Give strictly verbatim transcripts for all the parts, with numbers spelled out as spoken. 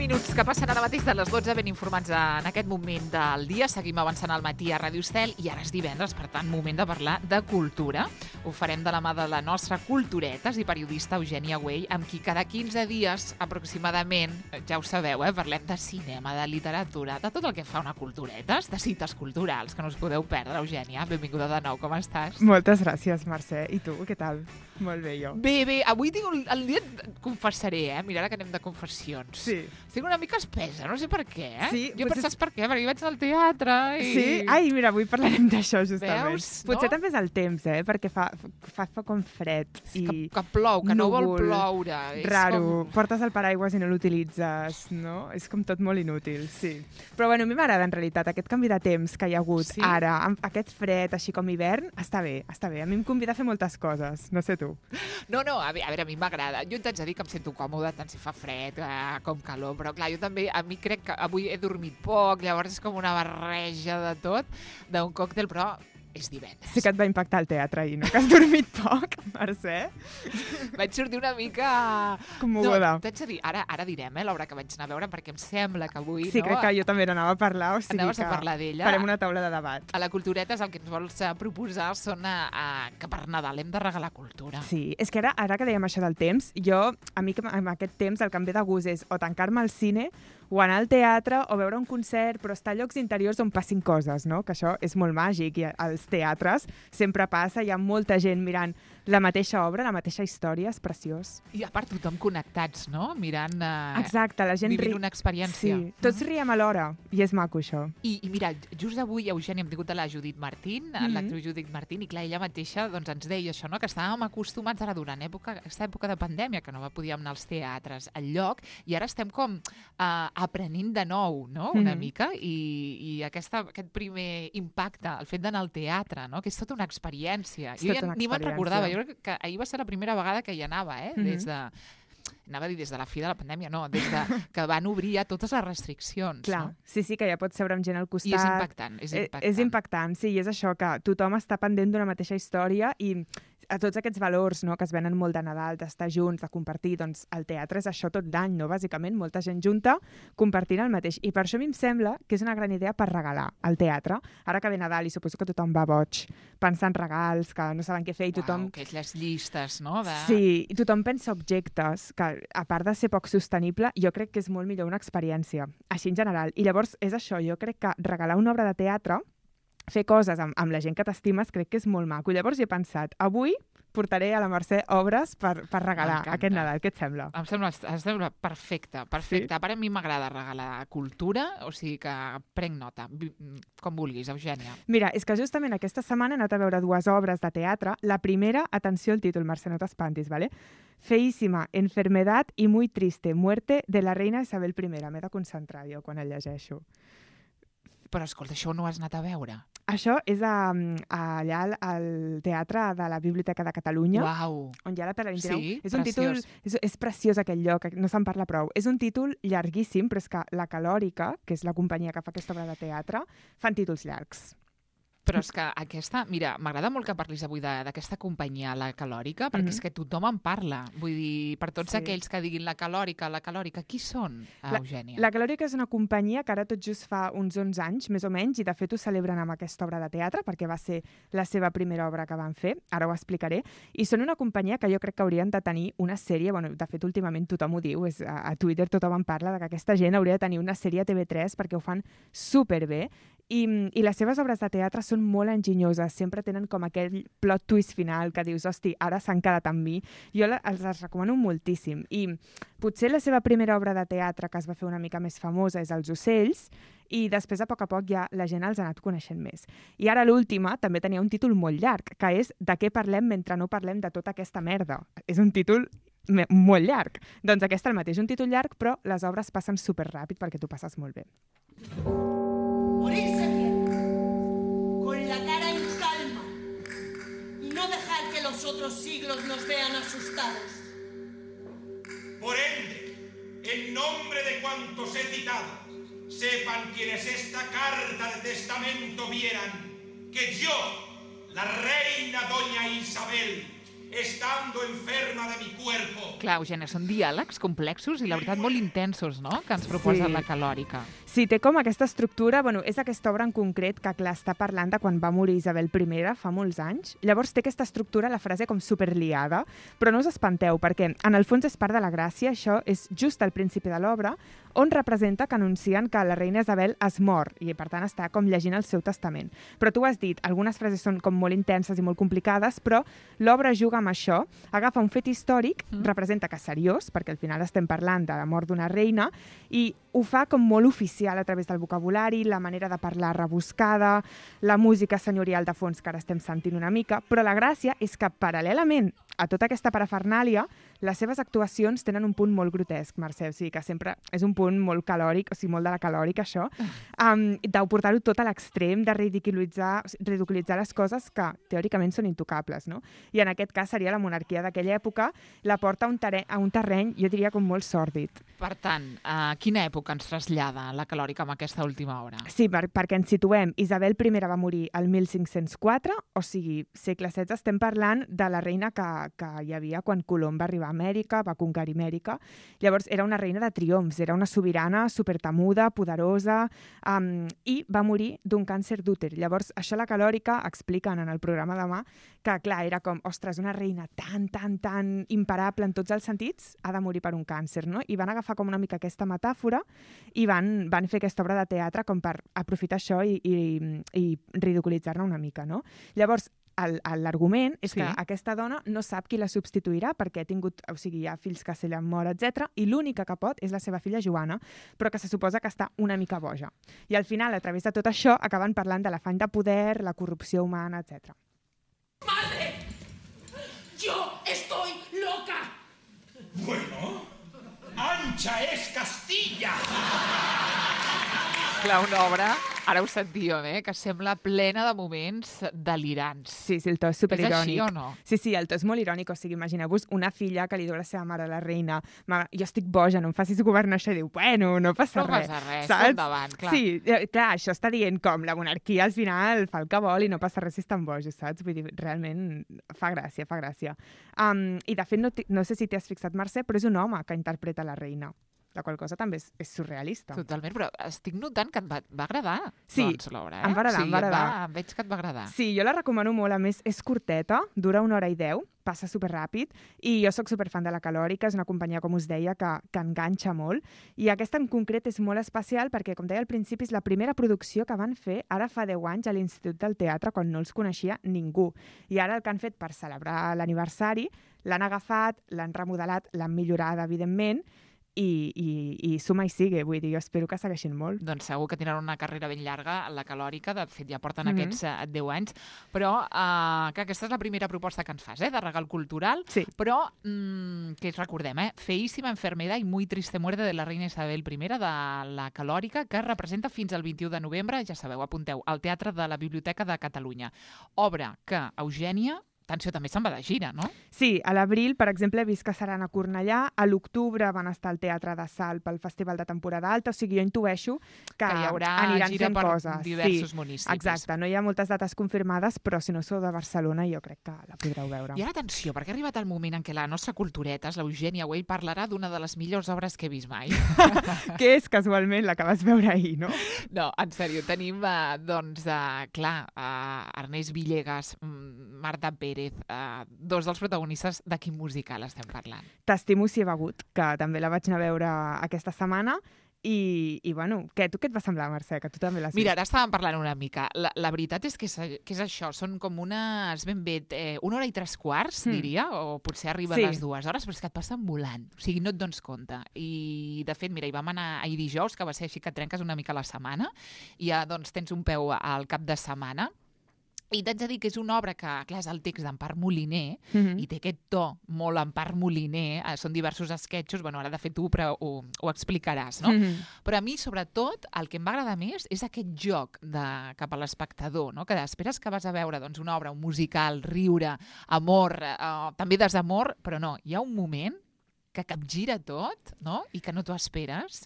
minuts que passen ara mateix de les dotze, ben informats en aquest moment del dia. Seguim avançant al matí a Ràdio Estel i ara és divendres, per tant, moment de parlar de cultura. Ho farem de la mà de la nostra culturetes i periodista Eugènia Güell, amb qui cada quinze dies aproximadament, ja ho sabeu, eh, parlem de cinema, de literatura, de tot el que fa una culturetes, de cites culturals, que no us podeu perdre, Eugènia. Benvinguda de nou, com estàs? Moltes gràcies, Mercè. I tu, què tal? Molt bé, jo. Bé, bé, avui tinc un, el dia, confessaré, eh? Mira, ara que anem de confessions. Sí. Estic una mica espesa, no sé per què, eh? Sí, jo potser... saps per què? Perquè vaig al teatre i... Sí? Ai, mira, avui parlarem d'això, justament. Veus, Potser no? també és el temps, eh? Perquè fa, fa, fa com fred i que, que plou, que no vol núvol, ploure. És raro, com... portes el paraigües i no l'utilitzes, no? És com tot molt inútil, sí. Però bueno, a mi m'agrada en realitat aquest canvi de temps que hi ha hagut Sí? ara, amb aquest fred, així com hivern, està bé, està bé. A mi em convida a fer moltes coses, no sé tu. No, no, a veure, a, veure, a mi m'agrada. Jo t'haig de dir que em sento còmode tant si fa fred eh, com calor, però clar, jo també, a mi crec que avui he dormit poc, llavors és com una barreja de tot, d'un còctel, però és divendres. Sí que et va impactar el teatre ahir, no? Que has dormit poc, Mercè? Vaig sortir una mica... Commoguda. No, t'haig de dir, ara, ara direm eh, l'obra que vaig anar a veure, perquè em sembla que avui... Sí, no, crec que jo també n'anava a parlar, o sigui Anaves que a parlar d'ella. farem una taula de debat. A la Culturetes el que ens vols eh, proposar són a, a, que per Nadal hem de regalar cultura. Sí, és que ara, ara que dèiem això del temps, jo, a mi que amb aquest temps el que em ve de gust és o tancar-me al cine o anar al teatre o veure un concert, però estar a llocs interiors on passin coses, no? Que això és molt màgic i als teatres sempre passa, hi ha molta gent mirant la mateixa obra, la mateixa història, és preciós. I a part tothom connectats, no? Mirant, eh, Exacte, la gent vivint ri... una experiència. Sí, tots riem alhora i és maco això. I, I mira, just avui, Eugènia, hem tingut a la Judit Martín, mm -hmm. l'actriu Judit Martín, i clar, ella mateixa doncs, ens deia això, no? Que estàvem acostumats ara durant època, aquesta època de pandèmia, que no podíem anar als teatres al lloc, i ara estem com eh, aprenent de nou, no? Una Mhm. mica, i, i aquesta, aquest primer impacte, el fet d'anar al teatre, no? Que és tota una experiència. És Jo tota ja una ni me'n experiència. recordava, jo crec que ahir va ser la primera vegada que hi anava, eh? Mhm. Des de... Anava a dir des de la fi de la pandèmia, no, des de que van obrir ja totes les restriccions. Clar, No? sí, sí, que ja pots seure amb gent al costat. I és impactant, és Eh, impactant. És impactant, sí, i és això, que tothom està pendent d'una mateixa història i a tots aquests valors, no?, que es venen molt de Nadal, d'estar junts, de compartir, doncs el teatre és això tot l'any, no?, bàsicament, molta gent junta compartint el mateix. I per això a mi em sembla que és una gran idea per regalar al teatre. Ara que ve Nadal i suposo que tothom va boig, pensant en regals, que no saben què fer i tothom... Uau, que és les llistes, no? De... Sí, i tothom pensa objectes, que a part de ser poc sostenible, jo crec que és molt millor una experiència, així en general. I llavors és això, jo crec que regalar una obra de teatre, fer coses amb, amb la gent que t'estimes, crec que és molt maco. Llavors he pensat, avui portaré a la Mercè obres per, per regalar M'encanta. aquest Nadal. Què et sembla? Em sembla, em sembla perfecte, perfecte. Sí? A part, a mi m'agrada regalar cultura, o sigui que prenc nota, Vi- com vulguis, Eugènia. Mira, és que justament aquesta setmana he anat a veure dues obres de teatre. La primera, atenció al títol, Mercè, no t'espantis, ¿vale? Feíssima, enfermedad y muy triste, muerte de la reina Isabel I. M'he de concentrar jo quan el llegeixo. Però, escolta, això no ho has anat a veure. Això és a, a, allà al, al Teatre de la Biblioteca de Catalunya, Uau! on hi ha la Tele vint-i-nou. Sí, és un títol, preciós. és, és preciós aquell lloc, no se'n parla prou. És un títol llarguíssim, però és que la Calòrica, que és la companyia que fa aquesta obra de teatre, fan títols llargs. Però és que aquesta... Mira, m'agrada molt que parlis avui de- d'aquesta companyia, la Calòrica, perquè Mhm. és que tothom en parla. Vull dir, per tots Sí. aquells que diguin la Calòrica, la Calòrica, qui són, La- Eugènia? La Calòrica és una companyia que ara tot just fa uns onze anys, més o menys, i de fet ho celebren amb aquesta obra de teatre, perquè va ser la seva primera obra que van fer, ara ho explicaré, i són una companyia que jo crec que haurien de tenir una sèrie, bueno, de fet últimament tothom ho diu, és, a, a Twitter tothom en parla, de que aquesta gent hauria de tenir una sèrie a T V tres perquè ho fan superbé, i, i les seves obres de teatre són molt enginyoses, sempre tenen com aquell plot twist final que dius, hosti, ara s'han quedat amb mi. Jo la, els les recomano moltíssim. I potser la seva primera obra de teatre que es va fer una mica més famosa és Els ocells, i després a poc a poc ja la gent els ha anat coneixent més. I ara l'última també tenia un títol molt llarg, que és De què parlem mentre no parlem de tota aquesta merda. És un títol me- molt llarg. Doncs aquesta el mateix, un títol llarg, però les obres passen superràpid perquè tu passes molt bé. Morirse bien, con la cara en calma, y no dejar que los otros siglos nos vean asustados. Por ende, en nombre de cuantos he citado, sepan quienes esta carta de testamento vieran que yo, la reina doña Isabel, estando enferma de mi cuerpo. Clar, Eugènia, són diàlegs complexos i la veritat molt intensos, no?, que ens proposa Sí. la Calòrica. Sí, té com aquesta estructura, bueno, és aquesta obra en concret que, clar, està parlant de quan va morir Isabel I fa molts anys. Llavors té aquesta estructura, la frase com superliada, però no us espanteu, perquè en el fons és part de la gràcia, això és just al principi de l'obra, on representa que anuncien que la reina Isabel es mor, i per tant està com llegint el seu testament. Però tu has dit, algunes frases són com molt intenses i molt complicades, però l'obra juga amb això, agafa un fet històric, mm. representa que és seriós, perquè al final estem parlant de la mort d'una reina, i ho fa com molt oficial a través del vocabulari, la manera de parlar rebuscada, la música senyorial de fons que ara estem sentint una mica, però la gràcia és que paral·lelament a tota aquesta parafernàlia, les seves actuacions tenen un punt molt grotesc, Mercè, o sigui que sempre és un punt molt calòric, o sigui, molt de la calòrica, això, um, de portar-ho tot a l'extrem, de ridiculitzar, ridiculitzar les coses que teòricament són intocables, no? I en aquest cas seria la monarquia d'aquella època, la porta a un, terreny, a un terreny, jo diria, com molt sòrdid. Per tant, a quina època ens trasllada la Calòrica amb aquesta última obra? Sí, per, perquè ens situem. Isabel I va morir el mil cinc-cents quatre, o sigui, segle setze, estem parlant de la reina que, que hi havia quan Colom va arribar a Amèrica, va conquerir Amèrica. Llavors, era una reina de triomfs, era una sobirana supertemuda, poderosa, um, i va morir d'un càncer d'úter. Llavors, això la Calòrica expliquen en el programa demà que, clar, era com, ostres, una reina tan, tan, tan imparable en tots els sentits, ha de morir per un càncer, no? I van agafar com una mica aquesta metàfora i van, van fer aquesta obra de teatre com per aprofitar això i, i, i ridiculitzar-ne una mica, no? Llavors, l'argument és sí. que aquesta dona no sap qui la substituirà perquè ha tingut, o sigui, hi ha fills que se li han mort, etcètera, i l'única que pot és la seva filla Joana, però que se suposa que està una mica boja. I al final, a través de tot això, acaben parlant de l'afany de poder, la corrupció humana, etcètera. ¡Madre! ¡Yo estoy loca! Bueno, ancha es Castilla. Clar, una obra, ara ho sentíem, eh, que sembla plena de moments delirants. Sí, sí, el to és superirònic. És així o no? Sí, sí, el to és molt irònic. O sigui, imagineu-vos una filla que li diu a la seva mare, la reina, mare, jo estic boja, no em facis governar això. I diu, bueno, no passa no res. No passa res, saps? endavant, clar. Sí, clar, això està dient com la monarquia al final fa el que vol i no passa res si estan bojos, saps? Vull dir, realment fa gràcia, fa gràcia. Um, I de fet, no, no sé si t'hi has fixat, Mercè, però és un home que interpreta la reina. La qual cosa també és, és surrealista. Totalment, però estic notant que et va, va agradar, sí, doncs, l'obra, eh? em va agradar, sí, em va agradar. Va, veig que et va agradar. Sí, jo la recomano molt, a més, és curteta, dura una hora i deu, passa superràpid, i jo sóc superfan de la Calòrica, és una companyia, com us deia, que, que enganxa molt, i aquesta en concret és molt especial perquè, com deia al principi, és la primera producció que van fer ara fa deu anys a l'Institut del Teatre, quan no els coneixia ningú. I ara el que han fet per celebrar l'aniversari, l'han agafat, l'han remodelat, l'han millorat, evidentment, I, i, i suma i sigue, vull dir, jo espero que segueixin molt. Doncs segur que tindran una carrera ben llarga, la Calòrica, de fet ja porten mm-hmm. aquests uh, deu anys, però uh, que aquesta és la primera proposta que ens fas, eh, de regal cultural, sí. però mm, que recordem, eh, Feísima enfermedad y muy triste muerte de la reina Isabel I de la Calòrica, que es representa fins al vint-i-u de novembre, ja sabeu, apunteu, al Teatre de la Biblioteca de Catalunya. Obra que, Eugènia, atenció, també se'n va de gira, no? Sí, a l'abril, per exemple, he vist que seran a Cornellà, a l'octubre van estar al Teatre de Salt pel Festival de Temporada Alta, o sigui, jo intueixo que, que hi haurà aniran gira fent per coses. diversos sí, municipis. Exacte, no hi ha moltes dates confirmades, però si no sou de Barcelona jo crec que la podreu veure. I ara atenció, perquè ha arribat el moment en què la nostra cultureta, l'Eugènia Güell, parlarà d'una de les millors obres que he vist mai. Que és casualment la que vas veure ahir, no? No, en sèrio, tenim, uh, doncs, uh, clar, uh, Ernest Villegas, Marta Pérez, uh, dos dels protagonistes de quin musical estem parlant. T'estimo si he begut, que també la vaig anar a veure aquesta setmana, i, i bueno, què, tu què et va semblar, Mercè, que tu també l'has vist? Mira, ara estàvem parlant una mica. La, la veritat és que és, que és això, són com unes, ben bé, eh, una hora i tres quarts, mm. diria, o potser arriba sí. a les dues hores, però és que et passen volant, o sigui, no et dones compte. I, de fet, mira, hi vam anar ahir dijous, que va ser així que et trenques una mica la setmana, i ja, doncs, tens un peu al cap de setmana. I t'haig de dir que és una obra que, clar, és el text d'Empar Moliner, mm-hmm. i té aquest to molt Empar Moliner, eh, són diversos esquetxos, bueno, ara de fet tu però ho, ho explicaràs, no? Mm-hmm. Però a mi, sobretot, el que em va agradar més és aquest joc de, cap a l'espectador, no? Que esperes que vas a veure doncs, una obra, un musical, riure, amor, eh, també desamor, però no, hi ha un moment que capgira tot, no? I que no t'ho esperes,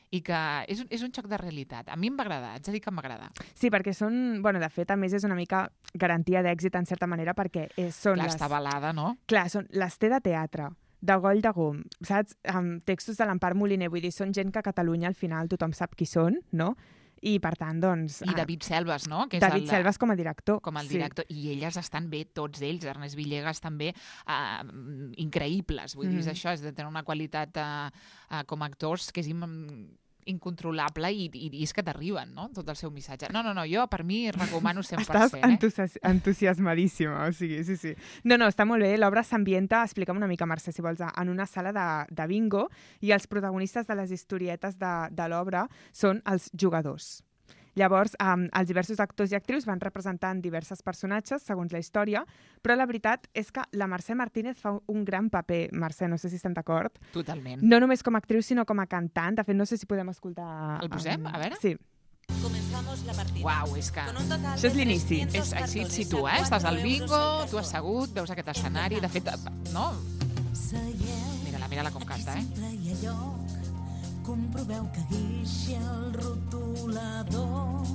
i que és, és un xoc de realitat. A mi em va agradar, haig de dir que em va agradar. Sí, perquè són... Bueno, de fet, a més, és una mica garantia d'èxit, en certa manera, perquè eh, són Clar, les... està avalada, no? Clar, són les té de teatre, de Goll de Gom, saps? Amb textos de l'Empar Moliner, vull dir, són gent que a Catalunya al final tothom sap qui són, no? I, per tant, doncs... I David Selves, no? Que és David el, Selves com a director. Com el director. Sí. I elles estan bé, tots ells. Ernest Villegas també, uh, increïbles. Vull mm. dir, és això, és de tenir una qualitat uh, uh, com a actors que és im incontrolable i, i, i és que t'arriben, no?, tot el seu missatge. No, no, no, jo per mi recomano cent per cent. Estàs entusi entusiasmadíssima, o sigui, sí, sí. No, no, està molt bé. L'obra s'ambienta, explica'm una mica, Mercè, si vols, en una sala de, de bingo i els protagonistes de les historietes de, de l'obra són els jugadors. Llavors, um, els diversos actors i actrius van representant diversos personatges, segons la història, però la veritat és que la Mercè Martínez fa un gran paper. Mercè, no sé si estem d'acord. Totalment. No només com a actriu, sinó com a cantant. De fet, no sé si podem escoltar... El posem? A veure? Sí. Comenzamos la partida. Uau, és que... Això és l'inici. És així et situa, eh? Estàs al bingo, tu assegut, veus aquest escenari, de fet, no? Mira-la, mira-la com canta, eh? Comproveu que guixi el rotulador.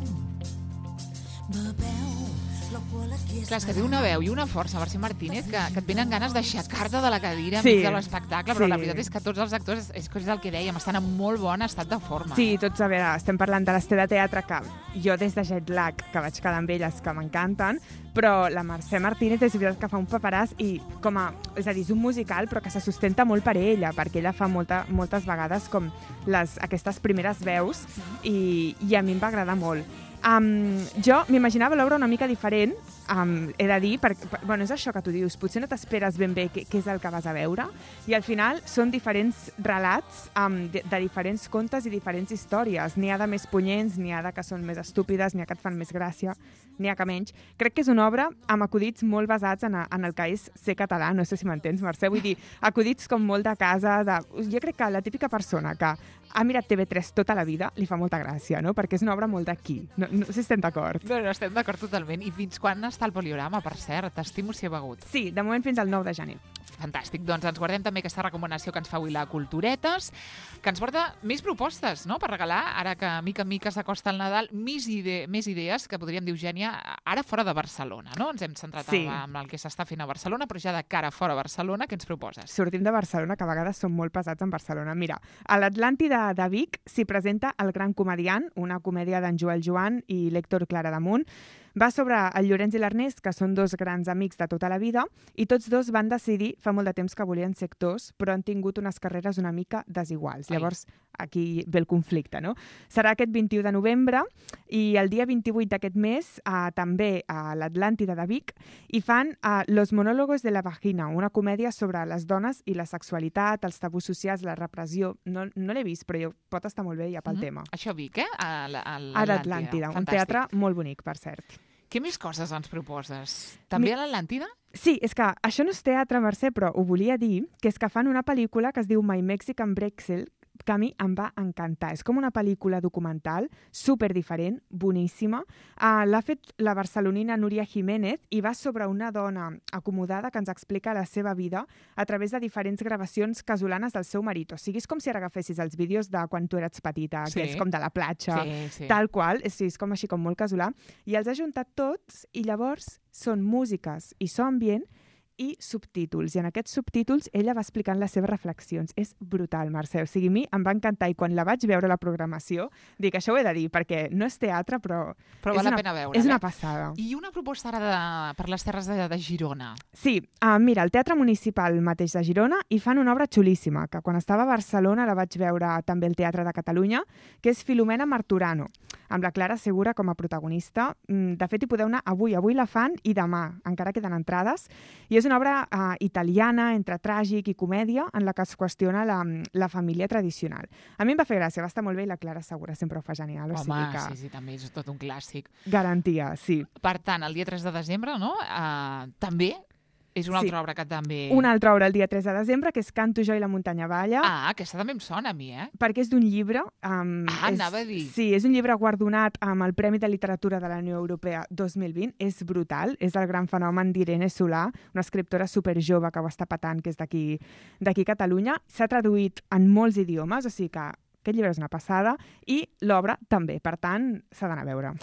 Bebeu l'alcohol aquí és... Clar, és que té una veu i una força, Mercè Martínez, que, que et venen ganes d'aixecar-te de la cadira sí, enmig de l'espectacle, però sí. la veritat és que tots els actors, és, és el que dèiem, estan en molt bon estat de forma. Sí, tots, a veure, estem parlant de l'Ester de teatre, que jo des de Jet Lag, que vaig quedar amb elles, que m'encanten, però la Mercè Martínez és veritat que fa un paperàs i com a... És a dir, és un musical, però que se sustenta molt per ella, perquè ella fa molta, moltes vegades com les, aquestes primeres veus i, i a mi em va agradar molt. Um, jo m'imaginava l'obra una mica diferent, um, he de dir, perquè, per, bueno, és això que tu dius, potser no t'esperes ben bé què, què és el que vas a veure, i al final són diferents relats um, de, de diferents contes i diferents històries. N'hi ha de més punyents, n'hi ha de que són més estúpides, n'hi ha que et fan més gràcia, n'hi ha que menys. Crec que és una obra amb acudits molt basats en, a, en el que és ser català, no sé si m'entens, Mercè, vull dir, acudits com molt de casa, de... jo crec que la típica persona que ha mirat T V tres tota la vida li fa molta gràcia, no? Perquè és una obra molt d'aquí. No, no sé si estem d'acord. No, no, estem d'acord totalment. I fins quan està el poliorama, per cert? T'estimo si he begut. Sí, de moment fins al nou de gener. Fantàstic. Doncs ens guardem també aquesta recomanació que ens fa avui la Culturetes, que ens porta més propostes, no?, per regalar, ara que mica en mica s'acosta el Nadal, més, ide més idees que podríem dir, Eugènia, ara fora de Barcelona, no? Ens hem centrat sí. en el que s'està fent a Barcelona, però ja de cara fora a Barcelona, què ens proposes? Sortim de Barcelona, que a vegades som molt pesats en Barcelona. Mira, a l'Atlàntida de Vic s'hi presenta El gran comediant, una comèdia d'en Joel Joan i l'Héctor Claramunt. Va sobre el Llorenç i l'Ernest, que són dos grans amics de tota la vida, i tots dos van decidir fa molt de temps que volien ser actors, però han tingut unes carreres una mica desiguals. Ai. Llavors, aquí ve el conflicte, no? Serà aquest vint-i-u de novembre i el dia vint-i-vuit d'aquest mes eh, també a l'Atlàntida de Vic i fan eh, Los monólogos de la vagina, una comèdia sobre les dones i la sexualitat, els tabús socials, la repressió. No, no l'he vist, però jo, pot estar molt bé ja pel mm-hmm. tema. Això Vic, eh? A l'Atlàntida, un teatre molt bonic, per cert. Què més coses ens proposes? També Mi... a l'Atlàntida? Sí, és que això no és teatre, Mercè, però ho volia dir, que és que fan una pel·lícula que es diu My Mexican Brexel, que a mi em va encantar. És com una pel·lícula documental, super diferent, boníssima. Uh, L'ha fet la barcelonina Núria Jiménez i va sobre una dona acomodada que ens explica la seva vida a través de diferents gravacions casolanes del seu marit. O sigui, és com si ara agafessis els vídeos de quan tu eres petita, sí. que és com de la platja, sí, sí. tal qual. És, és com així, com molt casolà. I els ha juntat tots i llavors són músiques i so ambient i subtítols. I en aquests subtítols ella va explicant les seves reflexions. És brutal, Mercè. O sigui, a mi em va encantar i quan la vaig veure la programació, dic, això ho he de dir, perquè no és teatre, però, però val la pena veure. És una passada. I una proposta ara de, per les terres de, de Girona. Sí, uh, mira, el Teatre Municipal mateix de Girona hi fan una obra xulíssima, que quan estava a Barcelona la vaig veure també al Teatre de Catalunya, que és Filomena Marturano, amb la Clara Segura com a protagonista. De fet, hi podeu anar avui. Avui la fan i demà. Encara queden entrades. I és una obra uh, italiana, entre tràgic i comèdia, en la que es qüestiona la, la família tradicional. A mi em va fer gràcia, va estar molt bé i la Clara Segura sempre ho fa genial. O Home, sigui que... sí, sí, també és tot un clàssic. Garantia, sí. Per tant, el dia tres de desembre, no? Uh, també és una altra sí. obra que també... Una altra obra el dia tres de desembre, que és Canto jo i la muntanya balla. Ah, aquesta també em sona a mi, eh? Perquè és d'un llibre... Um, ah, és, anava a dir. Sí, és un llibre guardonat amb el Premi de Literatura de la Unió Europea dos mil vint. És brutal, és el gran fenomen d'Irene Solà, una escriptora superjove que ho està patant, que és d'aquí d'aquí Catalunya. S'ha traduït en molts idiomes, o sigui que Aquest llibre és una passada i l'obra també, per tant, s'ha d'anar a veure.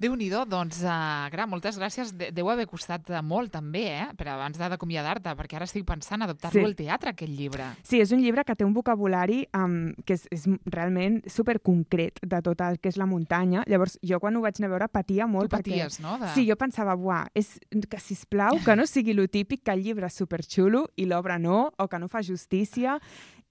Déu-n'hi-do, doncs, uh, Gra, moltes gràcies. De deu haver costat molt, també, eh? Però abans d'acomiadar-te, perquè ara estic pensant adaptar-lo Sí. al teatre, aquest llibre. Sí, és un llibre que té un vocabulari um, que és, és realment superconcret de tot el que és la muntanya. Llavors, jo quan ho vaig anar a veure patia molt. Tu paties, perquè... no? De... Sí, jo pensava, buah, és que, sisplau, que no sigui lo típic que el llibre és superxulo i l'obra no, o que no fa justícia.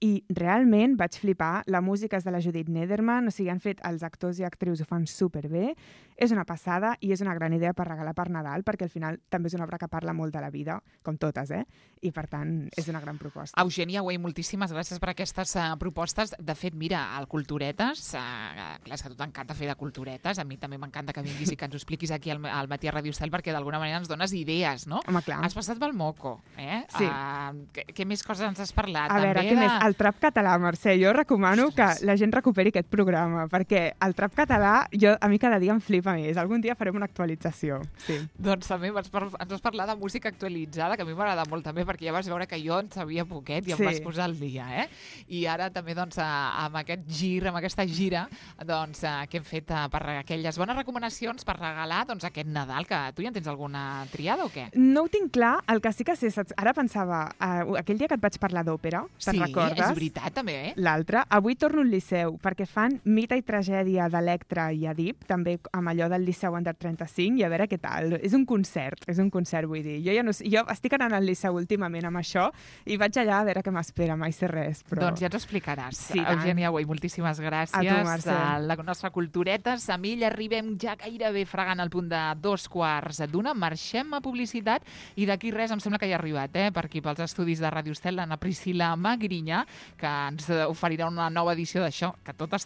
I realment vaig flipar. La música és de la Judith Nederman, o sigui, han fet els actors i actrius ho fan superbé. És una passada i és una gran idea per regalar per Nadal, perquè al final també és una obra que parla molt de la vida, com totes, eh? I per tant, és una gran proposta. Eugènia Güell, moltíssimes gràcies per aquestes uh, propostes. De fet, mira, el Culturetes, uh, clar, és que a tu t'encanta fer de culturetes, a mi també m'encanta que vinguis i que ens ho expliquis aquí al, al Matí a Ràdio Estel, perquè d'alguna manera ens dones idees, no? Home, clar. Has passat pel Moco, eh? Sí. Uh, què, què més coses ens has parlat? A veure, també què de... més? El trap català, Mercè. Jo recomano Ostres. que la gent recuperi aquest programa, perquè el trap català jo, a mi cada dia em flipa més. Algun dia farem una actualització. Sí. Doncs també vas par ens vas parlar de música actualitzada, que a mi m'agrada molt també, perquè ja vas veure que jo en sabia poquet i em Sí. vas posar al dia, eh? I ara també, doncs, a, amb aquest gir, amb aquesta gira, doncs, a, que hem fet a, per aquelles bones recomanacions per regalar, doncs, aquest Nadal, que tu ja en tens alguna triada o què? No ho tinc clar, el que sí que sé, saps? Ara pensava, uh, aquell dia que et vaig parlar d'òpera, te'n Sí, recordes? és veritat, també, eh? L'altre, avui torno al Liceu, perquè fan Mite i tragèdia d'Electra i Edip, també amb allò del Liceu Under trenta-cinc, i a veure què tal. És un concert, és un concert, vull dir. Jo ja no sé, jo estic anant al Liceu últimament amb això, i vaig allà a veure què m'espera, mai sé res, però... Doncs ja ens ho explicaràs. Sí, tant. Eugènia Güell, moltíssimes gràcies. A tu, Mercè. A la nostra Culturetes. Amb ell arribem ja gairebé fregant el punt de dos quarts d'una. Marxem a publicitat i d'aquí res em sembla que ja ha arribat, eh, per aquí pels estudis de Ràdio Estel, l'Anna Priscila Magrinya, que ens oferirà una nova edició d'això, que tot està